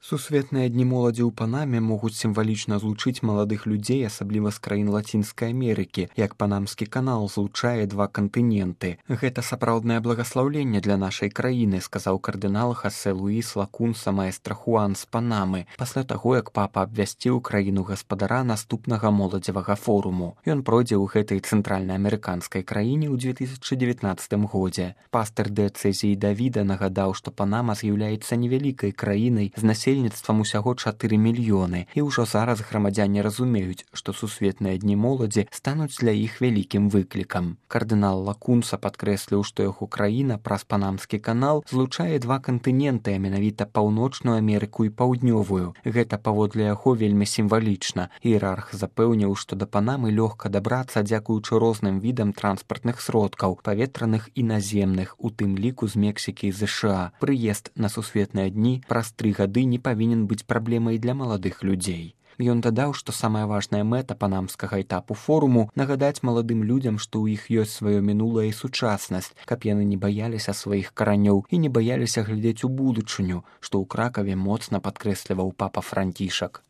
Сусветныя дні моладзі ў Панаме могуць сімвалічна злучыць маладых людзей, асабліва з краін Лацінскай Амерыкі, як Панамскі канал злучае два кантыненты. Гэта сапраўднае благаслаўленне для нашай краіны, сказаў кардынал Хасе Луіс Лакунса маэстра Хуан з Панамы, пасля таго, як папа абвясціў краіну гаспадара наступнага моладзевага форуму. Ён пройдзе ў гэтай цэнтральнаамерыканскай краіне ў 2019 годзе. Пастыр дыэцэзіі Давіда нагадаў, што Панама з'яўляецца невялікай краінай з насельніцтвам усяго 4 мільёны, і ўжо зараз грамадзяне разумеюць, што сусветныя дні моладзі стануць для іх вялікім выклікам. Кардынал Лакунса падкрэсліў, што яго краіна праз Панамскі канал злучае два кантыненты, а менавіта Паўночную Амерыку і Паўднёвую. Гэта паводле яго вельмі сімвалічна. Іерарх запэўніў, што да Панамы лёгка дабрацца дзякуючы розным відам транспартных сродкаў, паветраных і наземных, у тым ліку з Мексікі і ЗША. Прыезд на сусветныя дні праз 3 гады не павінен быць праблемай для маладых людзей. Ён дадаў, што самая важная мэта панамскага этапу форуму — нагадаць маладым людзям, што ў іх ёсць сваё мінулае і сучаснасць, каб яны не баяліся сваіх каранёў і не баяліся глядзець у будучыню, што ў Кракаве моцна падкрэсліваў папа Францішак.